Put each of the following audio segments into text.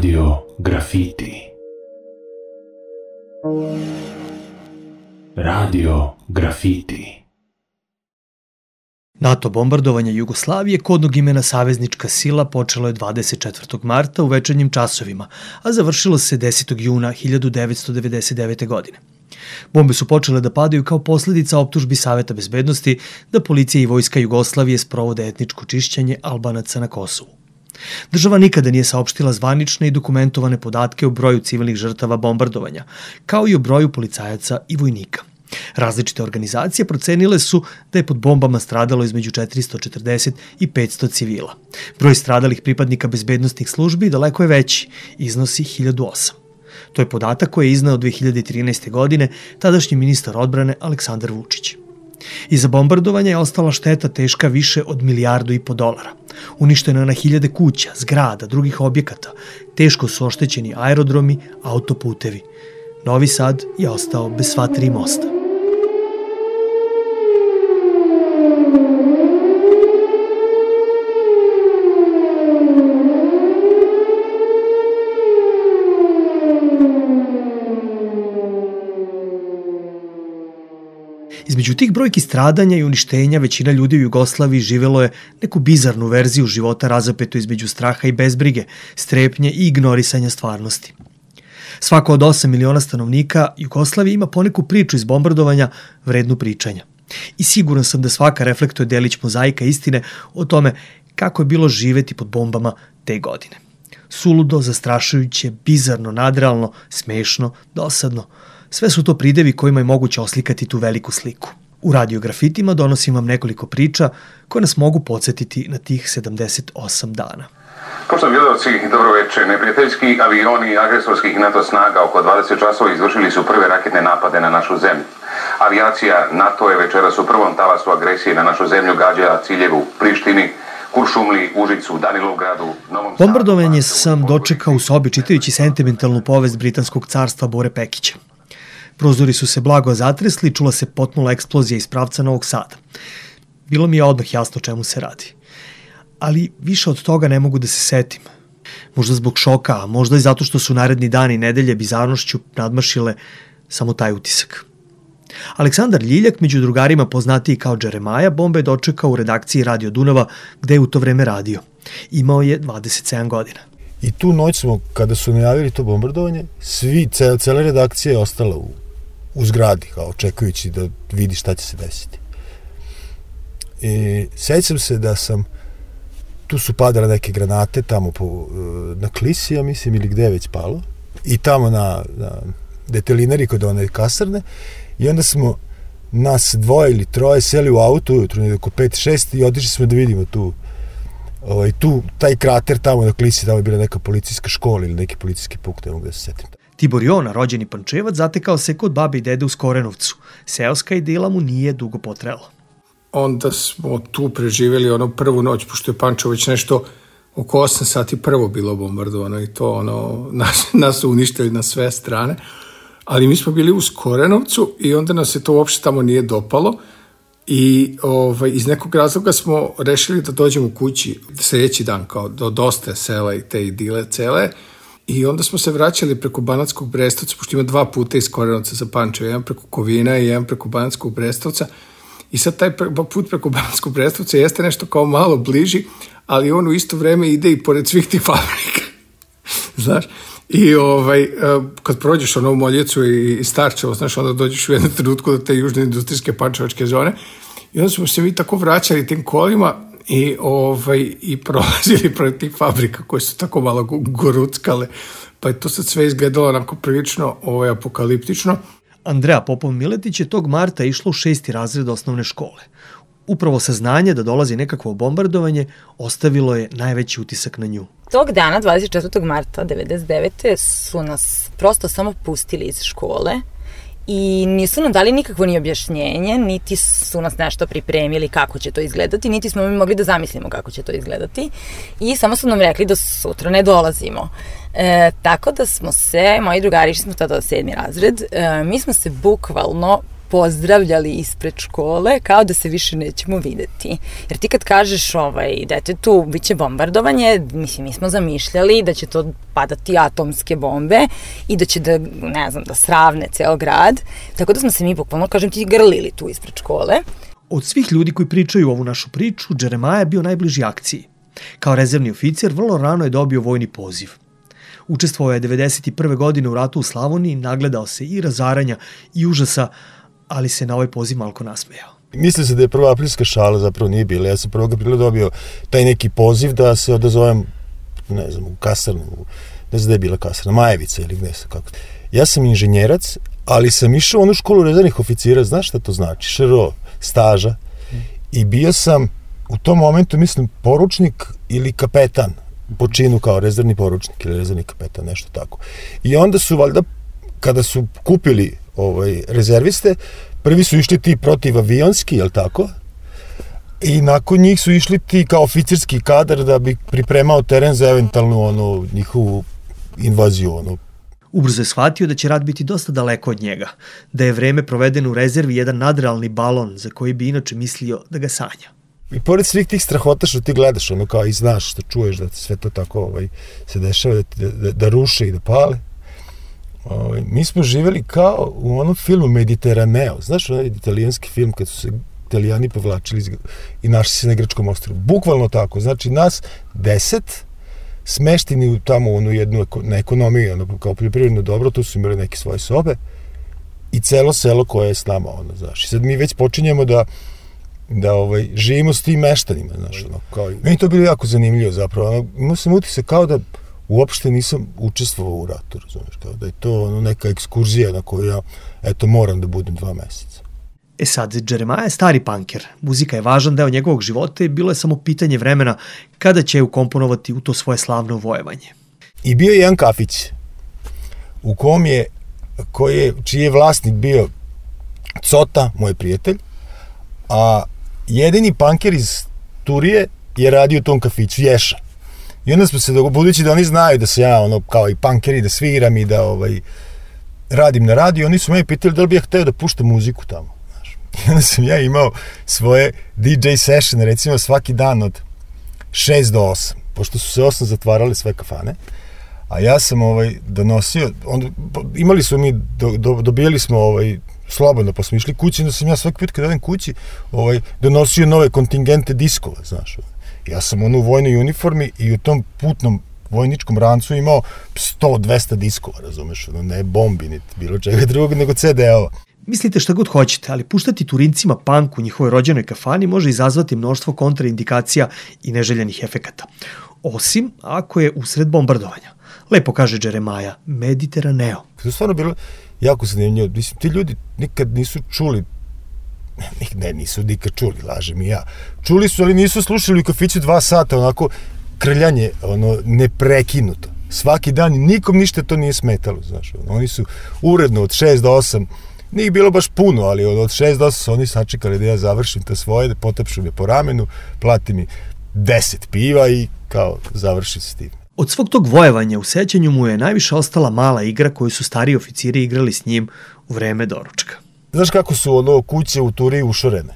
Radio Grafiti. Radio Grafiti. NATO bombardovanje Jugoslavije, kodnog imena Saveznička sila, počelo je 24. marta u večernjim časovima, a završilo se 10. juna 1999. godine. Bombe su počele da padaju kao posledica optužbi Saveta bezbednosti da policija i vojska Jugoslavije sprovode etničko čišćenje Albanaca na Kosovu. Država nikada nije saopštila zvanične i dokumentovane podatke o broju civilnih žrtava bombardovanja, kao i o broju policajaca i vojnika. Različite organizacije procenile su da je pod bombama stradalo između 440 i 500 civila. Broj stradalih pripadnika bezbednostnih službi daleko je veći, iznosi 1008. To je podatak koji je izneo 2013. godine tadašnji ministar odbrane Aleksandar Vučić. Iza bombardovanja je ostala šteta teška više od $1,5 milijardi. Uništeno je na hiljade kuća, zgrada, drugih objekata. Teško su oštećeni aerodromi, autoputevi. Novi Sad je ostao bez sva 3 mosta. Između tih brojki stradanja i uništenja većina ljudi u Jugoslaviji živelo je neku bizarnu verziju života razapetu između straha i bezbrige, strepnje i ignorisanja stvarnosti. Svako od 8 miliona stanovnika Jugoslavije ima poneku priču iz bombardovanja vrednu pričanja. I siguran sam da svaka reflektuje delić mozaika istine o tome kako je bilo živeti pod bombama te godine. Suludo, zastrašujuće, bizarno, nadrealno, smešno, dosadno. Sve su to pridevi kojima je moguće oslikati tu veliku sliku. U Radio Grafitima donosim vam nekoliko priča koje nas mogu podsjetiti na tih 78 dana. Poštovani gledalci, dobro večer. Neprijateljski avioni agresorskih NATO snaga oko 20 časova izvršili su prve raketne napade na našu zemlju. Avijacija NATO je večeras u prvom talasu agresije na našu zemlju gađala ciljeve u Prištini, Kuršumliji, Užicu, Danilovgradu, Novom Sadu. Bombardovanje sam dočekao u sobi čitajući sentimentalnu povest britanskog carstva Bore Pekića. Prozori su se blago zatresli, čula se potnula eksplozija iz pravca Novog Sada. Bilo mi je odmah jasno čemu se radi. Ali više od toga ne mogu da se setim. Možda zbog šoka, a možda i zato što su naredni dani i nedelje bizarnošću nadmašile samo taj utisak. Aleksandar Ljiljak, među drugarima poznatiji kao Džeremaja, bombe je dočekao u redakciji Radio Dunava, gde je u to vreme radio. Imao je 27 godina. I tu noć smo, kada su najavili to bombardovanje, cela redakcija je ostala u zgradi, kao očekujući da vidi šta će se desiti. I sećam se da sam, tu su padale neke granate tamo na Klisi, ja mislim, ili gde je već palo, i tamo na detelinari kod one kasarne, i onda smo nas 2 ili 3 seli u auto ujutru, oko 5-6, i otišli smo da vidimo tu taj krater tamo na Klisi, tamo je bila neka policijska škola ili neki policijski punkt, ne mogu da se setim. Tibor Jona, rođeni Pančevac, zatekao se kod babe i dede u Skorenovcu. Seoska idila mu nije dugo potrela. Onda smo tu preživjeli prvu noć, pošto je Pančevo već nešto oko 8 sati prvo bilo bombardovano i to nas su uništili na sve strane. Ali mi smo bili u Skorenovcu i onda nas se to uopšte tamo nije dopalo. I iz nekog razloga smo rešili da dođemo kući sljedeći dan, kao dosta sela i te idile cele, i onda smo se vraćali preko Banatskog Brestovca, pošto ima 2 puta iz Korenovca za Pančevo, jedan preko Kovina i jedan preko Banatskog Brestovca, i sad taj put preko Banatskog Brestovca jeste nešto kao malo bliži, ali on u isto vreme ide i pored svih tih fabrika, znaš. I kad prođeš u Moljecu i Starčevo, znaš, onda dođeš u jednom trenutku do te južne industrijske pančevačke zone, i onda smo se mi tako vraćali tim kolima i prolazili protiv tih fabrika koje su tako malo goruckale, pa je to sad sve izgledalo onako prilično apokaliptično. Andreja Popov-Miletić je tog marta išla u 6. razred osnovne škole. Upravo saznanje da dolazi nekakvo bombardovanje ostavilo je najveći utisak na nju. Tog dana, 24. marta 1999. su nas prosto samo pustili iz škole i nisu nam dali nikakvo ni objašnjenje, niti su nas nešto pripremili kako će to izgledati, niti smo mi mogli da zamislimo kako će to izgledati, i samo su nam rekli da sutra ne dolazimo. Tako da smo se, moji drugari, išli smo tada 7. razred, mi smo se bukvalno pozdravljali ispred škole kao da se više nećemo videti. Jer ti kad kažeš detetu bit će bombardovanje, mislim, mi smo zamišljali da će to padati atomske bombe i da će da sravne ceo grad, tako da smo se mi bukvalno, kažem ti, grlili tu ispred škole. Od svih ljudi koji pričaju ovu našu priču, Jeremaja je bio najbliži akciji. Kao rezervni oficir vrlo rano je dobio vojni poziv. Učestvovao je 1991. godine u ratu u Slavoniji, nagledao se i razaranja i užasa, ali se na ovaj poziv malko nasmejao. Mislim se da je prva aprilska šala, zapravo nije bila. Ja sam 1. aprila dobio taj neki poziv da se odazovem, ne znam, u kasarnu, ne znam da je bila kasarna, Majevica ili gde sam, kako. Ja sam inženjerac, ali sam išao u onu školu rezervnih oficira, znaš šta to znači? ŠRO, staža. I bio sam u tom momentu, mislim, poručnik ili kapetan, po činu kao rezervni poručnik ili rezervni kapetan, nešto tako. I onda su, valjda, kada su kupili rezerviste, prvi su išli ti protivavionski, jel tako? I nakon njih su išli ti kao oficirski kadar da bi pripremao teren za eventualnu njihovu invaziju. Ubrzo je shvatio da će rat biti dosta daleko od njega, da je vreme provedeno u rezervi jedan nadrealni balon za koji bi inače mislio da ga sanja. I pored svih tih strahota što ti gledaš, kao i znaš, što čuješ da sve to tako se dešava, da ruše i da pale, mi smo živeli kao u onom filmu Mediteraneo. Znaš, onaj italijanski film kad su se Italijani povlačili i našli se na grčkom ostrvu. Bukvalno tako. Znači, nas 10 smešteni tamo u jednu na ekonomiju, kao poljoprivredno dobro, tu su imali neke svoje sobe i celo selo koje je s nama, znaš. I sad mi već počinjemo da živimo s tim meštanima, znaš, kao i... Meni to bilo jako zanimljivo, zapravo. Imao sam utisak kao da uopšte nisam učestvovao u ratu, razumiješ, kao da je to neka ekskurzija na koju ja, moram da budem 2 meseca. Sad, Jeremaja je stari panker. Muzika je važan deo njegovog života i bilo je samo pitanje vremena kada će je ukomponovati u to svoje slavno vojevanje. I bio je jedan kafić u čiji je vlasnik bio Cota, moj prijatelj, a jedini panker iz Turije je radio u tom kafiću, Ješa. I onda smo se, budući da oni znaju da se ja, kao i pankeri, da sviram i da radim na radiju, oni su meni pitali da li bi ja hteo da puštam muziku tamo. I onda sam ja imao svoje DJ session, recimo svaki dan od 6 do 8, pošto su se 8 zatvarale sve kafane, a ja sam donosio, imali smo mi, dobijali smo slobodno, pa smo išli kući, onda sam ja svaki put kad odem kući donosio nove kontingente diskova, znaš. Ja sam u vojnoj uniformi i u tom putnom vojničkom rancu imao 100-200 diskova, razumeš, ne bombi, niti bilo čega drugog, nego CD-ova. Mislite šta god hoćete, ali puštati Turincima punk u njihovoj rođenoj kafani može izazvati mnoštvo kontraindikacija i neželjenih efekata. Osim ako je usred bombardovanja. Lepo kaže Jeremaja, Mediteraneo. To je stvarno bilo jako zanimljivo. Mislim, ti ljudi nikad nisu čuli, nisu nikad čuli, lažem i ja. Čuli su, ali nisu slušali u kafiću 2 sata, onako krljanje, neprekinuto. Svaki dan, nikom ništa to nije smetalo, znaš. Oni su uredno od 6 do 8, nije bilo baš puno, ali od 6 do 8 su oni sačekali da ja završim to svoje, da potapšu me po ramenu, plati mi 10 piva i kao završim s tim. Od svog tog vojevanja u sećanju mu je najviše ostala mala igra koju su stariji oficiri igrali s njim u vreme doručka. Znaš kako su kuće u Turiji ušorene?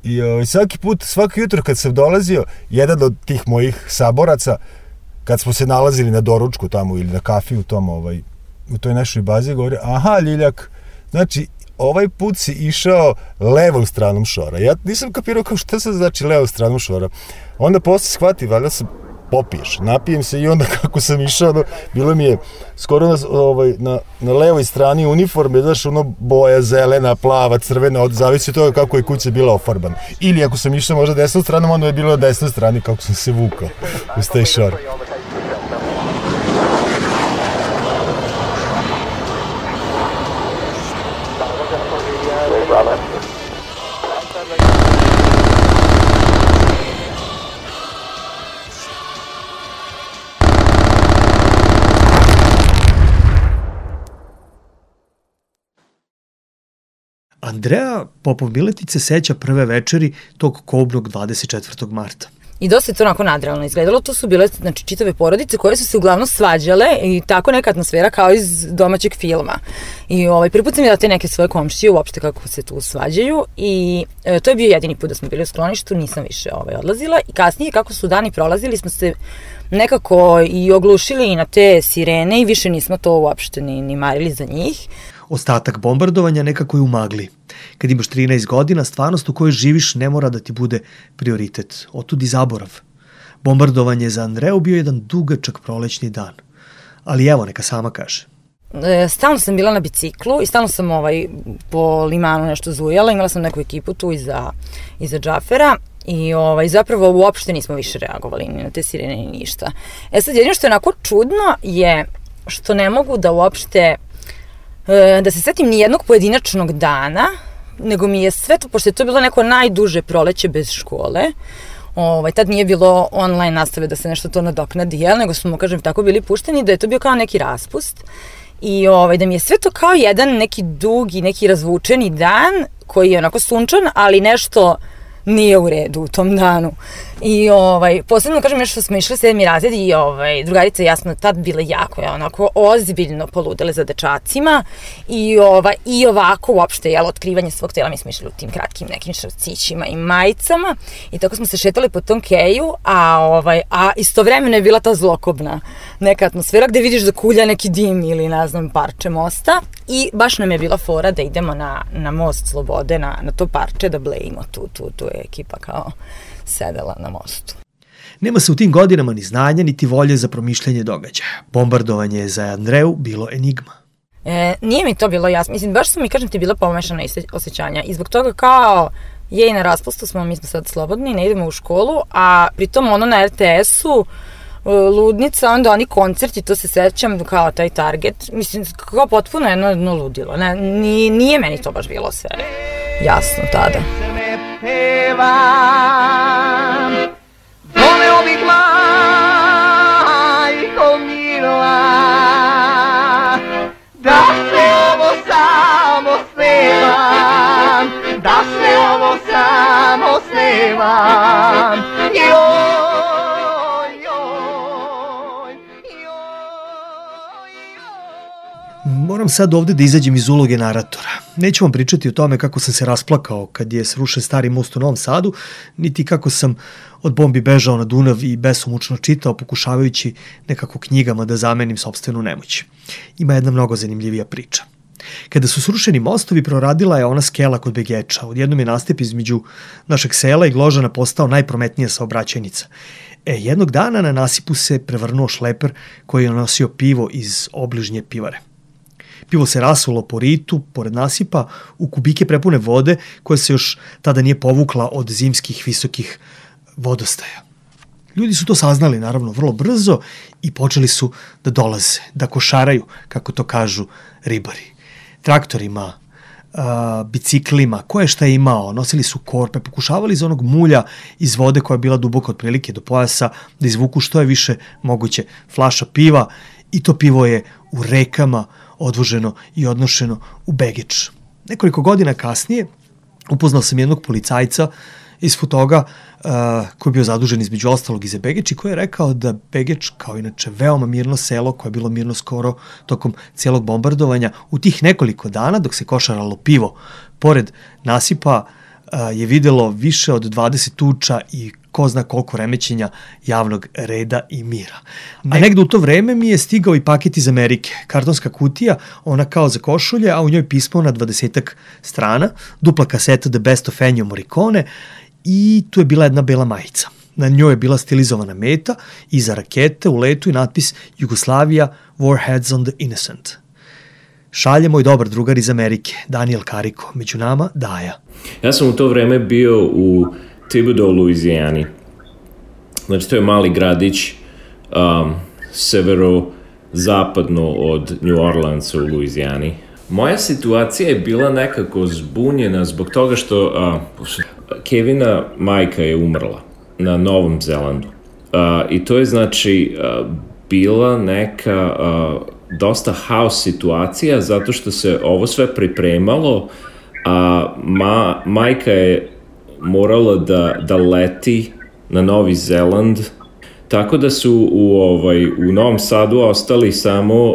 I svaki jutro kad sam dolazio, jedan od tih mojih saboraca, kad smo se nalazili na doručku tamo ili na kafi u tom, u toj našoj bazi, govori, aha, Ljiljak, znači, ovaj put si išao levom stranom šora. Ja nisam kapirao kao šta se znači levom stranom šora. Onda posle shvati, valjda se popiješ, napijem se i onda kako sam išao, bilo mi je skoro na levoj strani uniforme, znaš, boja zelena, plava, crvena, zavisi od toga kako je kuća bila ofarbana. Ili ako sam išao možda desnom stranom, onda je bilo na desnoj strani kako sam se vukao uz taj šor. Andrea Popov Miletić se seća prve večeri tog kobnog 24. marta. I dosta je to onako nadrealno izgledalo. To su bile, znači, čitave porodice koje su se uglavnom svađale i tako neka atmosfera kao iz domaćeg filma. I prvi put sam videla te neke svoje komšije uopšte kako se tu svađaju i to je bio jedini put da smo bili u skloništu, nisam više odlazila i kasnije kako su dani prolazili smo se nekako i oglušili i na te sirene i više nismo to uopšte ni marili za njih. Ostatak bombardovanja nekako je u magli. Kad imaš 13 godina, stvarnost u kojoj živiš ne mora da ti bude prioritet. Otud i zaborav. Bombardovanje za Andreu bio jedan dugačak prolećni dan. Ali evo, neka sama kaže. Stalno sam bila na biciklu i stalno sam po limanu nešto zujala. Imala sam neku ekipu tu iza Džafera i zapravo uopšte nismo više reagovali ni na te sirene ni ništa. Sad, jedino što je onako čudno je što ne mogu da uopšte da se setim ni jednog pojedinačnog dana, nego mi je sve to, pošto je to bilo neko najduže proleće bez škole, tad nije bilo online nastave da se nešto to nadoknadi, nego smo, kažem, tako bili pušteni, da je to bio kao neki raspust i da mi je sve to kao jedan neki dugi, neki razvučeni dan koji je onako sunčan, ali nešto nije u redu u tom danu. I posebno, kažem, nešto smo išli 7. razred i drugarica i ja smo tad bile jako onako ozbiljno poludele za dečacima i ovako uopšte, otkrivanje svog tela, mi smo išli u tim kratkim nekim šrcićima i majicama i tako smo se šetali po tom keju, a istovremeno je bila ta zlokobna neka atmosfera gde vidiš da kulja neki dim ili ne znam parče mosta i baš nam je bila fora da idemo na most Slobode, na to parče da blejimo tu je ekipa kao sedela na mostu. Nema se u tim godinama ni znanja, niti volje za promišljanje događaja. Bombardovanje je za Andreu bilo enigma. Nije mi to bilo jasno. Mislim, baš su mi, kažem ti, bila pomešana osjećanja. I zbog toga kao je i na raspustu mi smo sad slobodni, ne idemo u školu, a pritom na RTS-u ludnica, onda oni koncerti, to se sećam kao taj Target. Mislim, kao potpuno jedno ludilo. Nije meni to baš bilo sve jasno tada. Pevam, doneo bih majko mila, da se ovo samo snevam, da se ovo samo snevam, Moram sad ovde da izađem iz uloge naratora. Neću vam pričati o tome kako sam se rasplakao kad je srušen stari most u Novom Sadu, niti kako sam od bombi bežao na Dunav i besomučno čitao, pokušavajući nekako knjigama da zamenim sopstvenu nemoć. Ima jedna mnogo zanimljivija priča. Kada su srušeni mostovi, proradila je ona skela kod Begeča. Odjednom je nastep između našeg sela i Gložana postao najprometnija saobraćajnica. Jednog dana na nasipu se prevrnuo šleper koji je nosio pivo iz obližnje pivare. Pivo se rasulo po ritu, pored nasipa, u kubike prepune vode koja se još tada nije povukla od zimskih visokih vodostaja. Ljudi su to saznali, naravno, vrlo brzo i počeli su da dolaze, da košaraju, kako to kažu ribari. Traktorima, biciklima, ko je šta je imao, nosili su korpe, pokušavali iz onog mulja iz vode koja je bila duboka otprilike do pojasa da izvuku što je više moguće flaša piva i to pivo je u rekama odvoženo i odnošeno u Begeč. Nekoliko godina kasnije upoznao sam jednog policajca iz Futoga koji je bio zadužen između ostalog i za Begeč i koji je rekao da Begeč, kao inače veoma mirno selo koje je bilo mirno skoro tokom celog bombardovanja, u tih nekoliko dana dok se košaralo pivo pored nasipa je videlo više od 20 tuča i ko zna koliko remećenja javnog reda i mira. A negde u to vreme mi je stigao i paket iz Amerike. Kartonska kutija, ona kao za košulje, a u njoj pismo na 20 strana, dupla kaseta The Best of Ennio Morricone i tu je bila jedna bela majica. Na njoj je bila stilizovana meta, iza rakete u letu i natpis Jugoslavia, Warheads on the Innocent. Šalje moj dobar drugar iz Amerike, Daniel Kariko, među nama Daja. Ja sam u to vreme bio u Thibodaux, Luizijani. Znači, to je mali gradić severozapadno od New Orleansa u Luizijani. Moja situacija je bila nekako zbunjena zbog toga što Kevina majka je umrla na Novom Zelandu. I to je znači bila neka dosta haos situacija zato što se ovo sve pripremalo, a majka je morala da leti na Novi Zeland, tako da su u Novom Sadu ostali samo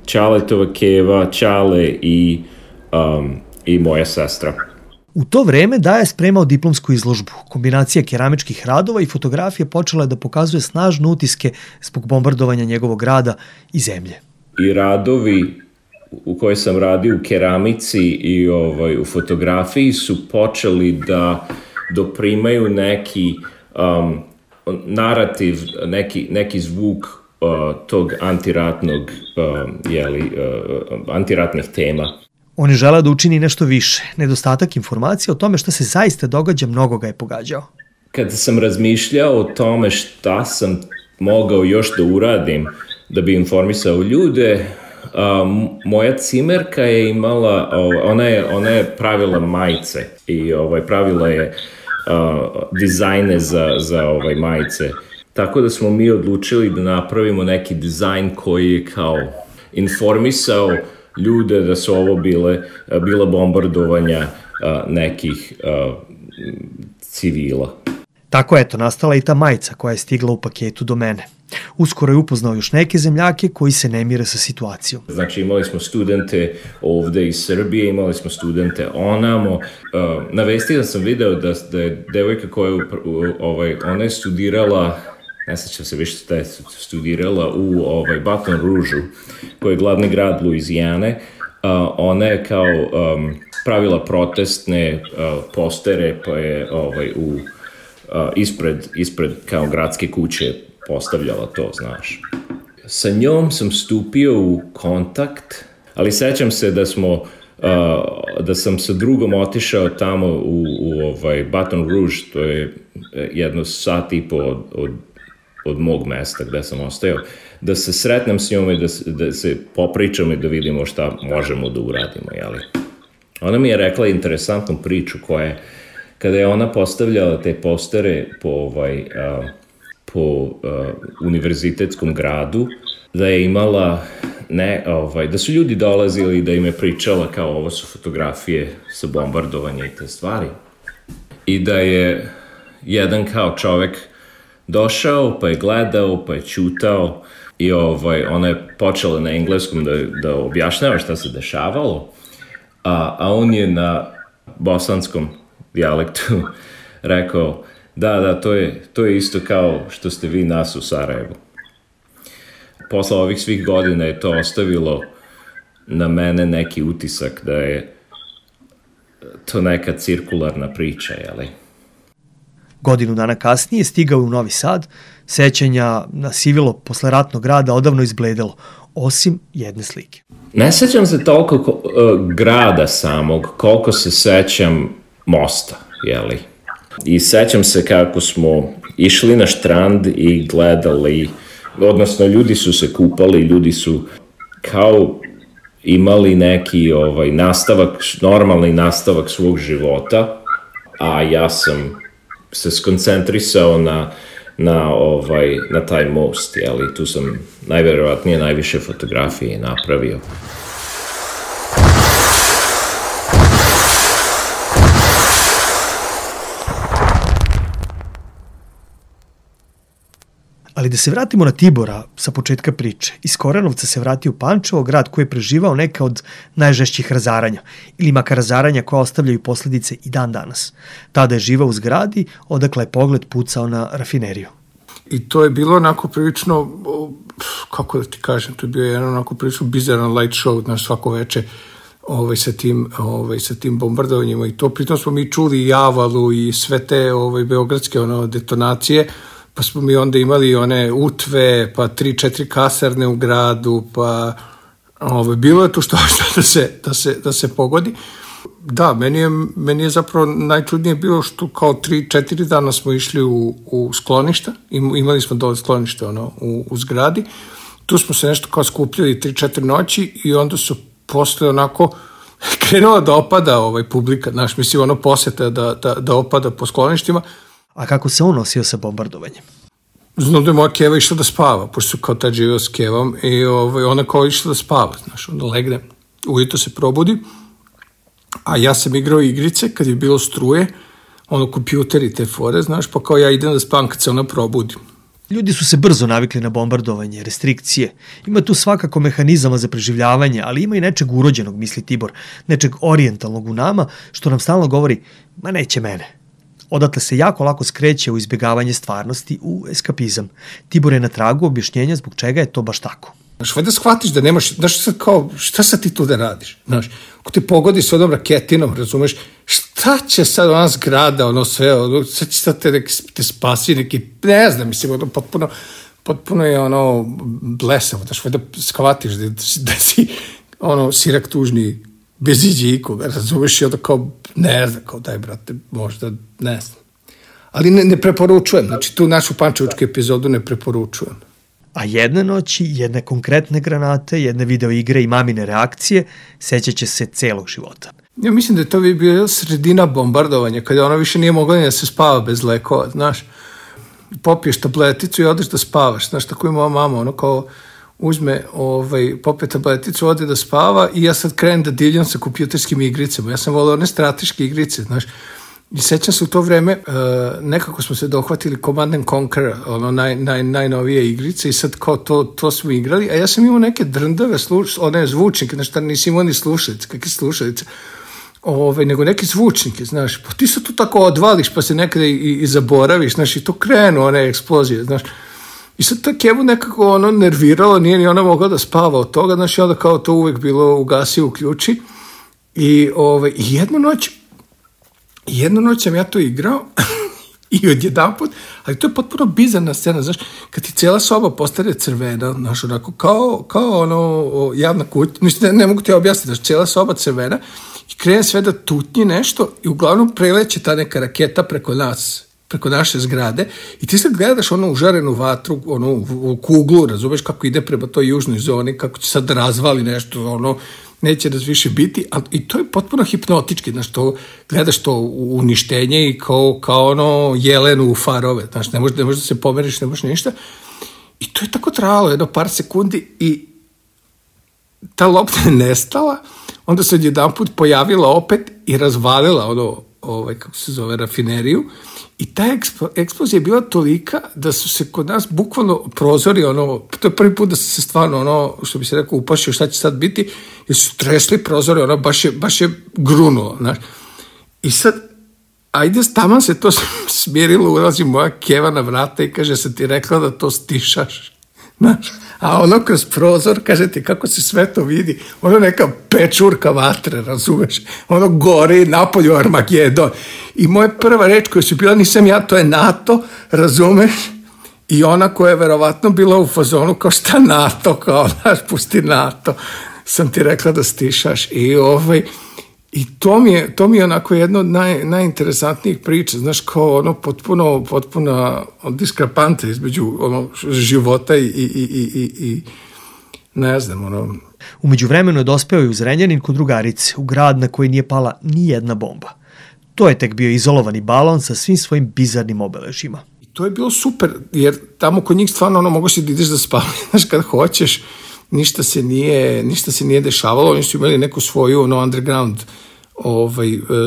Ćaletova keva, Ćale i moja sestra. U to vreme Daja je spremao diplomsku izložbu. Kombinacija keramičkih radova i fotografije počela je da pokazuje snažne utiske zbog bombardovanja njegovog grada i zemlje. I radovi u kojoj sam radio u keramici i u fotografiji su počeli da doprimaju neki narativ, neki zvuk tog antiratnih tema. On je želeo da učini nešto više. Nedostatak informacija o tome šta se zaista događa mnogo ga je pogađao. Kada sam razmišljao o tome šta sam mogao još da uradim da bi informisao ljude, moja cimerka je imala, ona je pravila majice i pravila je dizajne za majice. Tako da smo mi odlučili da napravimo neki dizajn koji je kao informisao ljude da su ovo bila bombardovanja nekih civila. Tako nastala i ta majica koja je stigla u paketu do mene. Uskoro je upoznao još neke zemljake koji se ne mire sa situacijom. Znači imali smo studente ovde iz Srbije, imali smo studente onamo. Na vestima sam video da je devojka koja ona je studirala, ne sjećam se više šta je studirala u Baton Rouge-u, koji je glavni grad Luizijane. Ona je kao pravila protestne postere, pa je ispred kao gradske kuće postavljala to, znaš. Sa njom sam stupio u kontakt, ali sećam se da sam sa drugom otišao tamo u Baton Rouge, to je jedno sat i po od mog mesta gde sam ostajao, da se sretnem s njom i da se popričam i da vidimo šta možemo da uradimo, jeli. Ona mi je rekla interesantnu priču koja je, kada je ona postavljala te postere po univerzitetskom gradu, da je imala da su ljudi dolazili da im je pričala kao ovo su fotografije sa bombardovanja i te stvari. I da je jedan kao čovek došao, pa je gledao, pa je ćutao i ona je počela na engleskom da objašnjava šta se dešavalo, a on je na bosanskom dijalektu rekao da, to je isto kao što ste vi nas u Sarajevu. Posle ovih svih godina je to ostavilo na mene neki utisak da je to neka cirkularna priča, jeli? Godinu dana kasnije stigao je u Novi Sad, sećanja na sivilo posle ratnog rada odavno izbledelo, osim jedne slike. Ne sećam se toliko grada samog, koliko se sećam mosta, jeli? I sećam se kako smo išli na štrand i gledali, odnosno ljudi su se kupali, ljudi su kao imali neki normalni nastavak svog života, a ja sam se skoncentrisao na taj most, jeli, tu sam najverovatnije najviše fotografije napravio. Ali da se vratimo na Tibora sa početka priče. Iz Korenovca se vratio u Pančevo, grad koji je preživao neka od najžešćih razaranja, ili makar razaranja koja ostavljaju posledice i dan danas. Tada je živao u zgradi, odakle je pogled pucao na rafineriju. I to je bilo onako prilično, kako da ti kažem, to je bio jedan onako prilično bizaran light show, znaš, svako veče sa tim bombardovanjima i to. Pritom smo mi čuli Javalu i sve te beogradske detonacije, pa smo mi onda imali one utve, pa 3-4 kasarne u gradu, pa bilo je to što da se pogodi. Da, meni je zapravo najčudnije bilo što kao 3-4 dana smo išli u skloništa, imali smo dole sklonište u zgradi, tu smo se nešto kao skupljali 3-4 noći i onda su posle onako krenula da opada publika, znaš, mislim poseta da opada po skloništima. A kako se on nosio sa bombardovanjem? Znam da je moja keva išla da spava, pošto su kao tad živeo s kevom i ona kao išla da spava, znaš, onda legne, ujutro se probudi A ja sam igrao igrice kad je bilo struje, kompjuteri te fore, znaš, pa kao ja idem da spavam kad se ona probudi. Ljudi su se brzo navikli na bombardovanje, restrikcije. Ima tu svakako mehanizama za preživljavanje, ali ima i nečeg urođenog, misli Tibor, nečeg orijentalnog u nama, što nam stalno govori, ma neće mene. Odatle se jako lako skreće u izbjegavanje stvarnosti, u eskapizam. Tibor je na tragu objašnjenja zbog čega je to baš tako. Znaš, da shvatiš da nemaš, znaš, sad kao, šta sad ti tu da radiš? Znaš, ako te pogodi s onom raketinom, razumeš, šta će sad ona zgrada, sve, sad će sad te spasi neki, ne znam, mislim, potpuno je blesavo, znaš, da shvatiš da si, sirak tužni, bez iđe ikoga, razumeš, i onda kao, ne znam, kao daj, brate, možda, ne znam. Ali ne preporučujem, znači tu našu pančevačku epizodu ne preporučujem. A jedne noći, jedne konkretne granate, jedne video igre i mamine reakcije sećat će se celog života. Ja mislim da je to bio sredina bombardovanja, kada ona više nije mogla ni da se spava bez lekova, znaš. Popiješ tableticu i odeš da spavaš, znaš, tako i moja mama, kao uzme, popije tableticu, ode da spava i ja sad krenem da divljam sa kompjuterskim igricama. Ja sam volio one strateške igrice, znaš. I sećam se u to vreme, nekako smo se dohvatili Command & Conquer, najnovije igrice i sad kao to smo igrali, a ja sam imao neke drndave one zvučnike, znaš, nisi imao ni slušalice, kakve slušalice, nego neke zvučnike, znaš, pa ti se tu tako odvališ pa se nekada i zaboraviš, znaš, i to krenu one eksplozije, znaš, i sad to Kevu nekako nerviralo, nije ni ona mogla da spava od toga, znaš, i onda kao to uvek bilo ugasi, uključi i jednu noć sam ja to igrao i odjedanput, ali to je potpuno bizarna scena, znaš, kad ti cijela soba postane crvena, znaš, onako, kao javna kuća, mislim, ne mogu ti objasniti, znaš, cijela soba crvena i krene sve da tutnji nešto i uglavnom preleće ta neka raketa preko nas, preko naše zgrade i ti sad gledaš užarenu vatru, u kuglu, razumeš kako ide prema toj južnoj zoni, kako će sad razvali nešto, neće da više biti, i to je potpuno hipnotički, znaš, to gledaš to uništenje i kao jelenu u farove, znaš, ne možeš da se pomeriš, ne možeš ništa. I to je tako trajalo, jedno par sekundi i ta lopta je nestala, onda se odjedanput pojavila opet i razvalila kako se zove, rafineriju i ta eksplozija je bila tolika da su se kod nas bukvalno prozori, to je prvi put da se stvarno, što bi se rekao, upašio šta će sad biti, jer su tresli prozori, baš je grunulo, znaš. I sad, ajde, taman se to smirilo, ulazi moja Keva na vrata i kaže, sam ti rekla da to stišaš, znaš. A kroz prozor, kaže ti kako se sve to vidi, neka pečurka vatre, razumeš, gori napolju Armagedon. I moja prva reč koja su bila, nisam ja, to je NATO, razumeš, i ona koja je verovatno bila u fazonu, kao šta NATO, kao, znaš, pusti NATO, sam ti rekla da stišaš. I to mi je onako jedno od najinteresantnijih priča, znaš, kao potpuno diskrepanta između života i ne znam, Umeđu vremenu je dospeo i u Zrenjanin kod drugarice, u grad na koji nije pala ni jedna bomba. To je tek bio izolovani balon sa svim svojim bizarnim obeležima. I to je bilo super, jer tamo kod njih stvarno mogu si da ideš da spavaš, znaš, kad hoćeš, ništa se nije dešavalo, oni su imali neku svoju underground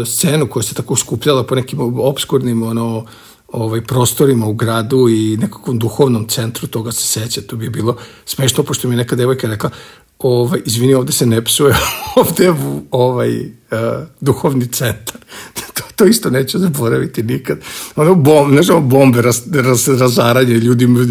scenu koja se tako skupljala po nekim obskurnim prostorima u gradu i nekakvom duhovnom centru, toga se seća, to bi bilo smešno, pošto mi je neka devojka rekla, izvini, ovde se ne psuje, ovde je duhovni centar. To isto neću zaboraviti nikad. Bombe razaranje,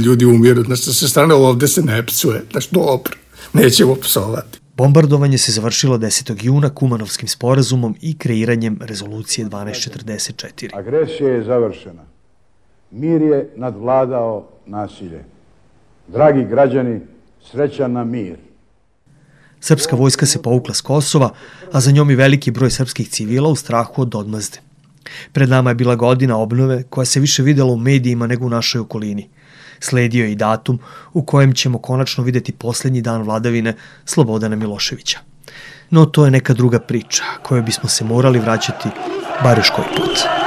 ljudi umiru, znači sa sve strane ovde se ne psuje, znači dobro, nećemo psovati. Bombardovanje se završilo 10. juna Kumanovskim sporazumom i kreiranjem rezolucije 1244. Agresija je završena. Mir je nadvladao nasilje. Dragi građani, srećan nam mir. Srpska vojska se povukla s Kosova, a za njom i veliki broj srpskih civila u strahu od odmazde. Pred nama je bila godina obnove koja se više videla u medijima nego u našoj okolini. Sledio je i datum u kojem ćemo konačno videti posljednji dan vladavine Slobodana Miloševića. No to je neka druga priča kojoj bismo se morali vraćati bar još koji put.